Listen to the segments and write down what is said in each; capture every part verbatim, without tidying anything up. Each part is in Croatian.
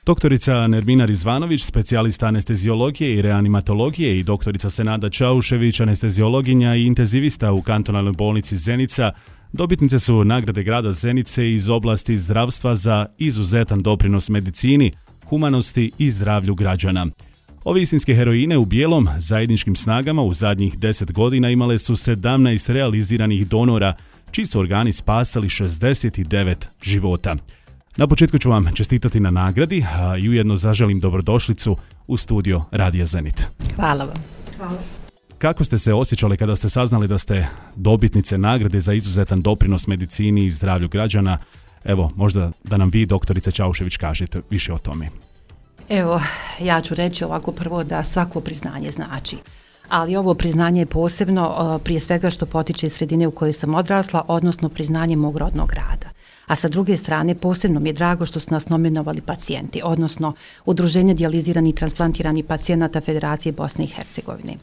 Doktorica Nermina Rizvanović, specijalista anesteziologije i reanimatologije, i doktorica Senada Čaušević, anesteziologinja i intenzivista u kantonalnoj bolnici Zenica, dobitnice su nagrade grada Zenice iz oblasti zdravstva za izuzetan doprinos medicini, humanosti i zdravlju građana. Ove istinske heroine u bijelom zajedničkim snagama u zadnjih deset godina imale su sedamnaest realiziranih donora, čiji su organi spasali šezdeset devet života. Na početku ću vam čestitati na nagradi, a i ujedno zaželim dobrodošlicu u studio Radija Zenit. Hvala vam. Hvala. Kako ste se osjećali kada ste saznali da ste dobitnice nagrade za izuzetan doprinos medicini i zdravlju građana? Evo, možda da nam vi, doktorice Čaušević, kažete više o tome. Evo, ja ću reći ovako prvo da svako priznanje znači. Ali ovo priznanje je posebno prije svega što potiče iz sredine u kojoj sam odrasla, odnosno priznanje mog rodnog grada. A sa druge strane, posebno mi je drago što su nas nominovali pacijenti, odnosno Udruženje dijaliziranih i transplantiranih pacijenata Federacije Bosne i Hercegovine.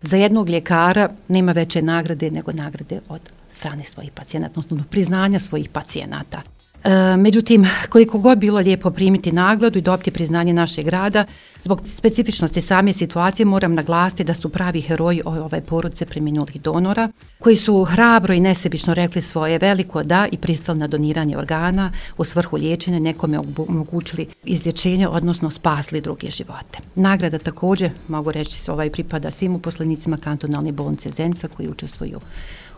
Za jednog ljekara nema veće nagrade nego nagrade od strane svojih pacijenata, odnosno priznanja svojih pacijenata. E, međutim, koliko god bilo lijepo primiti nagradu i dobiti priznanje našeg grada, zbog specifičnosti same situacije moram naglasiti da su pravi heroji ove porodice preminulih donora, koji su hrabro i nesebično rekli svoje veliko da i pristali na doniranje organa u svrhu liječenja, nekome omogućili izlječenje, odnosno spasli druge živote. Nagrada također, mogu reći, ovaj pripada svim uposlenicima kantonalne bolnice Zenica koji učestvuju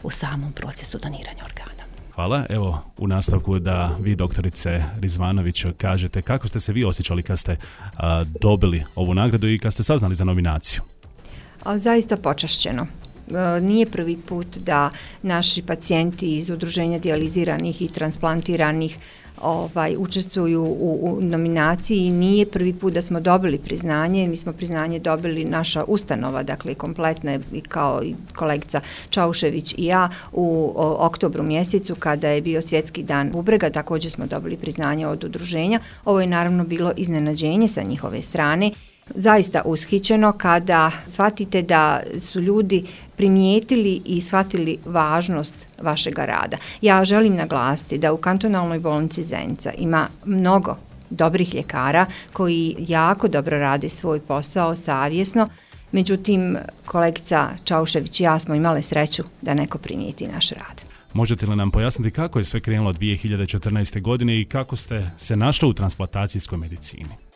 u samom procesu doniranja organa. Hvala. Evo, u nastavku da vi, doktorice Rizvanović, kažete kako ste se vi osjećali kad ste a, dobili ovu nagradu i kad ste saznali za nominaciju. A, zaista počašćeno. E, nije prvi put da naši pacijenti iz Udruženja dijaliziranih i transplantiranih Ovaj, učestvuju u, u nominaciji i nije prvi put da smo dobili priznanje. Mi smo priznanje dobili naša ustanova, dakle kompletna, i kao i kolegica Čaušević i ja u o, oktobru mjesecu kada je bio svjetski dan bubrega, također smo dobili priznanje od udruženja. Ovo je naravno bilo iznenađenje sa njihove strane. Zaista ushićeno kada shvatite da su ljudi primijetili i shvatili važnost vašega rada. Ja želim naglasiti da u kantonalnoj bolnici Zenica ima mnogo dobrih ljekara koji jako dobro rade svoj posao savjesno. Međutim, kolegica Čaušević i ja smo imale sreću da neko primijeti naš rad. Možete li nam pojasniti kako je sve krenulo dvije hiljade četrnaeste. godine i kako ste se našli u transplantacijskoj medicini?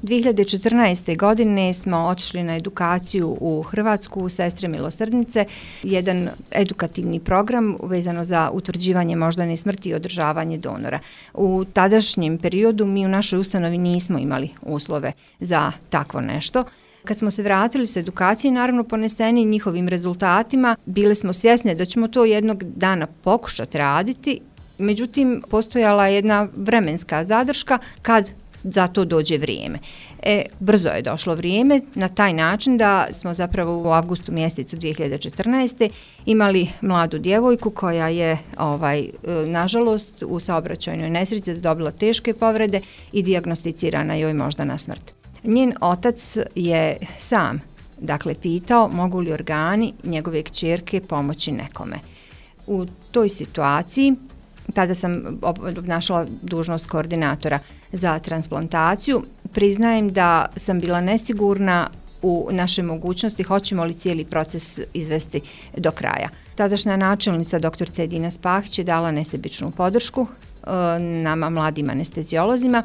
dvije hiljade četrnaeste. godine smo otišli na edukaciju u Hrvatsku u Sestre milosrdnice, jedan edukativni program vezano za utvrđivanje moždane smrti i održavanje donora. U tadašnjem periodu mi u našoj ustanovi nismo imali uslove za takvo nešto. Kad smo se vratili s edukacije, naravno poneseni njihovim rezultatima, bili smo svjesni da ćemo to jednog dana pokušati raditi, međutim postojala je jedna vremenska zadrška kad za to dođe vrijeme. E, brzo je došlo vrijeme na taj način da smo zapravo u avgustu mjesecu dvije hiljade četrnaeste. imali mladu djevojku koja je ovaj, nažalost u saobraćajnoj nesreći dobila teške povrede i dijagnosticirana joj moždana smrt. Njen otac je sam dakle pitao mogu li organi njegove kćerke pomoći nekome. U toj situaciji tada sam obnašala dužnost koordinatora za transplantaciju. Priznajem da sam bila nesigurna u naše mogućnosti hoćemo li cijeli proces izvesti do kraja. Tadašnja načelnica doktorica Edina Spahić je dala nesebičnu podršku e, nama mladim anesteziolozima.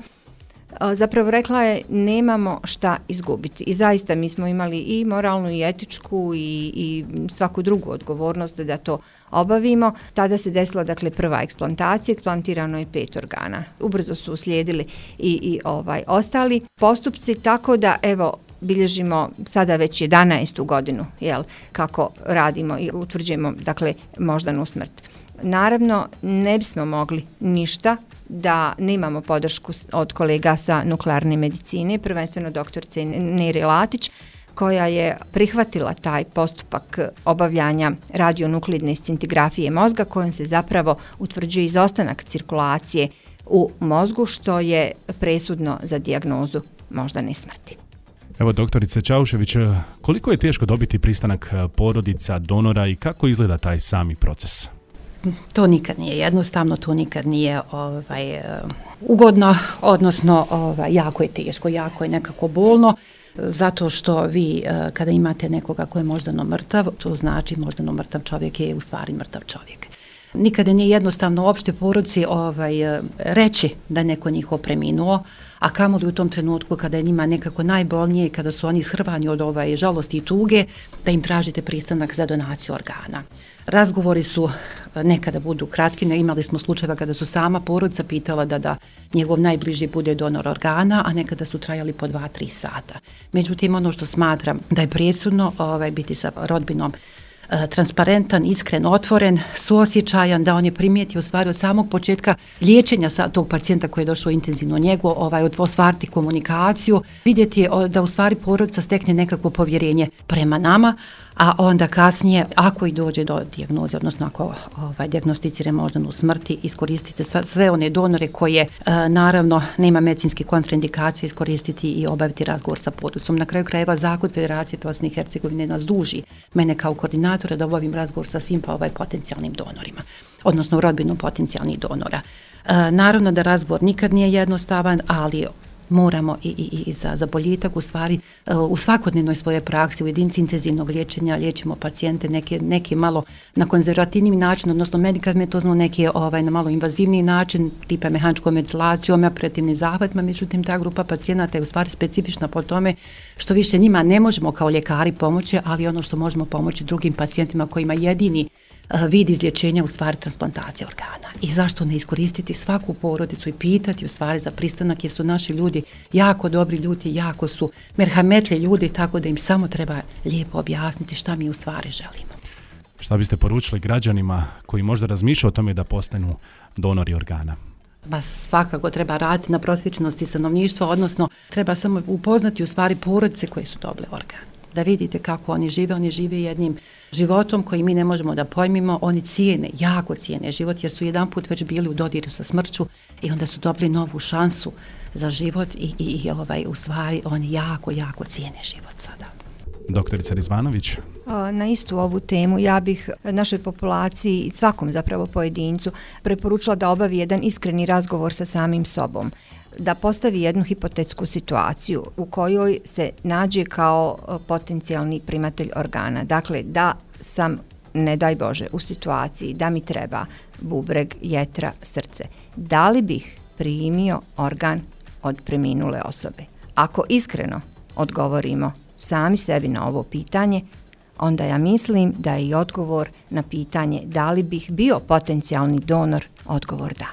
E, zapravo rekla je nemamo šta izgubiti i zaista mi smo imali i moralnu i etičku i, i svaku drugu odgovornost da to obavimo. Tada se desila dakle prva eksplantacija, eksplantirano je pet organa. Ubrzo su uslijedili i, i ovaj ostali postupci, tako da evo bilježimo sada već jedanaestu godinu jel, kako radimo i utvrđujemo dakle moždanu smrt. Naravno ne bismo mogli ništa da nemamo podršku od kolega sa nuklearne medicine, prvenstveno doktorice Nere Latić, koja je prihvatila taj postupak obavljanja radionukleidne scintigrafije mozga kojom se zapravo utvrđuje izostanak cirkulacije u mozgu što je presudno za dijagnozu moždane smrti. Evo, doktorice Čaušević, koliko je teško dobiti pristanak porodica donora i kako izgleda taj sami proces? to nikad nije jednostavno, to nikad nije ovaj, ugodno, odnosno ovaj, jako je teško, jako je nekako bolno, zato što vi kada imate nekoga ko je moždano mrtav, to znači moždano mrtav čovjek je u stvari mrtav čovjek. Nikada nije jednostavno uopšte porodici ovaj, reći da je neko njihov preminuo, a kamoli u tom trenutku kada je njima nekako najbolnije i kada su oni ishrvani od ovaj, žalosti i tuge, da im tražite pristanak za donaciju organa. Razgovori su nekada budu kratki, ne imali smo slučajeva kada su sama porodica pitala da da njegov najbliži bude donor organa, a nekada su trajali po dva, tri sata. Međutim, ono što smatram da je presudno ovaj, biti sa rodbinom transparentan, iskren, otvoren, suosjećajan, da on je primijetio u stvari od samog početka liječenja sa tog pacijenta koji je došao intenzivno njegu, ovaj, ostvariti komunikaciju, vidjeti da u stvari porodica stekne nekakvo povjerenje prema nama, a onda kasnije, ako i dođe do dijagnoze, odnosno ako ovaj, dijagnosticire moždanu smrti, iskoristite sve, sve one donore koje e, naravno nema medicinske kontraindikacije, iskoristiti i obaviti razgovor sa porodicom. Na kraju krajeva Zakon Federacije Bosne i Hercegovine nas duži, mene kao koordinatora, da obavim razgovor sa svim pa ovaj potencijalnim donorima, odnosno rodbinom potencijalnih donora. E, naravno da razgovor nikad nije jednostavan, ali moramo i, i, i za, za boljitak u stvari u svakodnevnoj svoje praksi u jedinici intenzivnog liječenja liječimo pacijente neke, neke malo na konzervativni način, odnosno medikamentozno, neke ovaj, na malo invazivni način, tipa mehaničkom ventilacijom, operativnim zahvatima, međutim ta grupa pacijenata je u stvari specifična po tome što više njima ne možemo kao ljekari pomoći, ali ono što možemo pomoći drugim pacijentima kojima jedini vid izlječenja u stvari transplantacija organa. I zašto ne iskoristiti svaku porodicu i pitati u stvari za pristanak, jer su naši ljudi jako dobri ljudi, jako su merhametli ljudi, tako da im samo treba lijepo objasniti šta mi u stvari želimo. Šta biste poručili građanima koji možda razmišljaju o tome da postanu donori organa? Ba svakako treba raditi na prosvijećenosti stanovništva, odnosno treba samo upoznati u stvari porodice koje su dobile organ. Da vidite kako oni žive, oni žive jednim životom koji mi ne možemo da pojmimo, oni cijene, jako cijene život, jer su jedan put već bili u dodiru sa smrću i onda su dobili novu šansu za život i, i, i ovaj, u stvari oni jako, jako cijene život sada. Doktorica Rizvanović. Na istu ovu temu ja bih našoj populaciji i svakom zapravo pojedincu preporučila da obavi jedan iskreni razgovor sa samim sobom, da postavi jednu hipotetsku situaciju u kojoj se nađe kao potencijalni primatelj organa. Dakle, da sam, ne daj Bože, u situaciji da mi treba bubreg, jetra, srce. Da li bih primio organ od preminule osobe? Ako iskreno odgovorimo sami sebi na ovo pitanje, onda ja mislim da je i odgovor na pitanje da li bih bio potencijalni donor, odgovor da.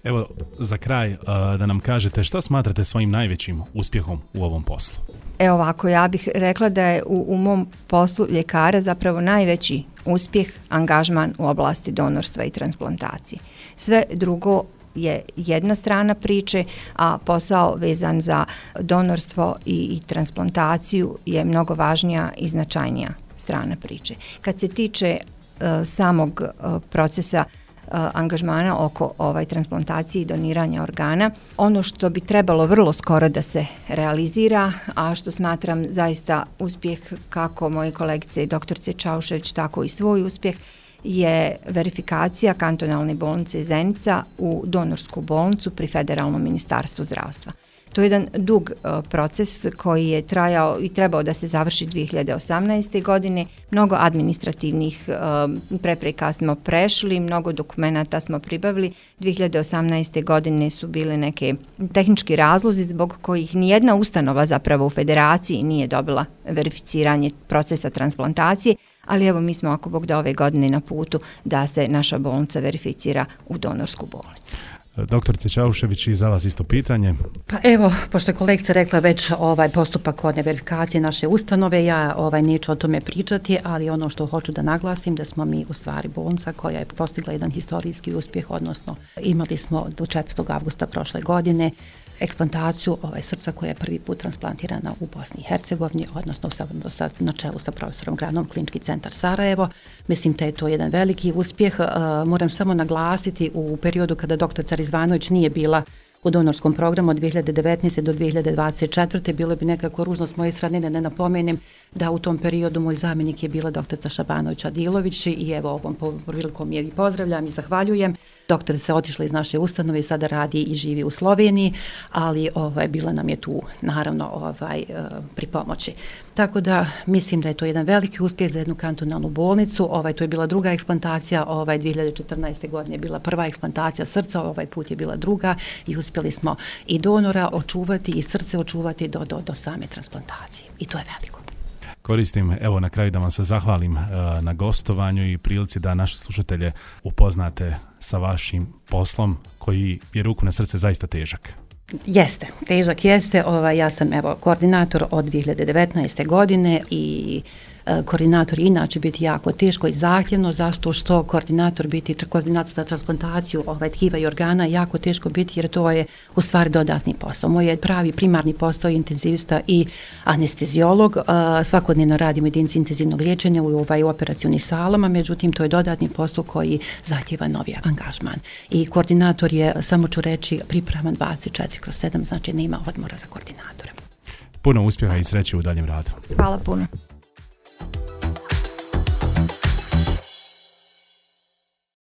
Evo, za kraj, da nam kažete šta smatrate svojim najvećim uspjehom u ovom poslu? Evo ovako, ja bih rekla da je u, u mom poslu ljekara zapravo najveći uspjeh angažman u oblasti donorstva i transplantacije. Sve drugo je jedna strana priče, a posao vezan za donorstvo i, i transplantaciju je mnogo važnija i značajnija strana priče. Kad se tiče uh, samog uh, procesa angažmana oko ovaj transplantacije i doniranja organa. Ono što bi trebalo vrlo skoro da se realizira, a što smatram zaista uspjeh kako moje kolegice doktorice Čaušević, tako i svoj uspjeh, je verifikacija kantonalne bolnice Zenica u donorsku bolnicu pri Federalnom ministarstvu zdravstva. To je jedan dug uh, proces koji je trajao i trebao da se završi dvije hiljade osamnaeste. godine. Mnogo administrativnih uh, prepreka smo prešli, mnogo dokumenata smo pribavili. dvije hiljade osamnaeste. godine su bile neke tehnički razlozi zbog kojih nijedna ustanova zapravo u federaciji nije dobila verificiranje procesa transplantacije, ali evo mi smo, ako Bog da, ove godine na putu da se naša bolnica verificira u donorsku bolnicu. Doktorice Čaušević, i za vas isto pitanje. Pa evo, pošto je kolegica rekla već ovaj postupak kod verifikacije naše ustanove, ja ovaj neću o tome pričati, ali ono što hoću da naglasim da smo mi u stvari bolnica koja je postigla jedan historijski uspjeh, odnosno imali smo do četvrtog avgusta prošle godine eksplantaciju ovaj, srca koja je prvi put transplantirana u Bosni i Hercegovini, odnosno sa, sa, na čelu sa profesorom Granom, Klinički centar Sarajevo. Mislim da je to jedan veliki uspjeh. Uh, moram samo naglasiti u periodu kada doktorica Rizvanović nije bila u donorskom programu od dvije hiljade devetnaeste do dvije hiljade dvadeset četvrte. Bilo bi nekako ružno s moje strane da ne napomenem da u tom periodu moj zamjenik je bila doktorica Šabanović Adilović i evo ovom prilikom je i pozdravljam i zahvaljujem. Doktorica je otišla iz naše ustanove i sada radi i živi u Sloveniji, ali ovaj, bila nam je tu naravno ovaj, pri pomoći. Tako da mislim da je to jedan veliki uspjeh za jednu kantonalnu bolnicu. Ovaj, to je bila druga eksplantacija, ovaj, dvije hiljade četrnaeste. godine je bila prva eksplantacija srca, ovaj put je bila druga i uspjeli smo i donora očuvati i srce očuvati do, do, do same transplantacije. I to je veliko. Koristim, evo na kraju da vam se zahvalim uh, na gostovanju i prilici da naše slušatelje upoznate sa vašim poslom koji je ruku na srce zaista težak. Jeste, težak jeste. Ovaj, ja sam evo koordinator od dvije hiljade devetnaeste. godine i e, koordinator inače biti jako teško i zahtjevno, zašto što koordinator biti, koordinator za transplantaciju ovaj, tkiva i organa jako teško biti jer to je u stvari dodatni posao. Moj je pravi primarni posao je intenzivista i anesteziolog. E, svakodnevno radimo jedinici intenzivnog liječenja u ovaj operacionim salama, međutim to je dodatni posao koji zahtjeva novi angažman. I koordinator je, samo ću reći, pripravan dvadeset četiri kroz sedam, znači nema odmora za koordinatora. Puno uspjeha i sreće u daljem radu. Hvala puno.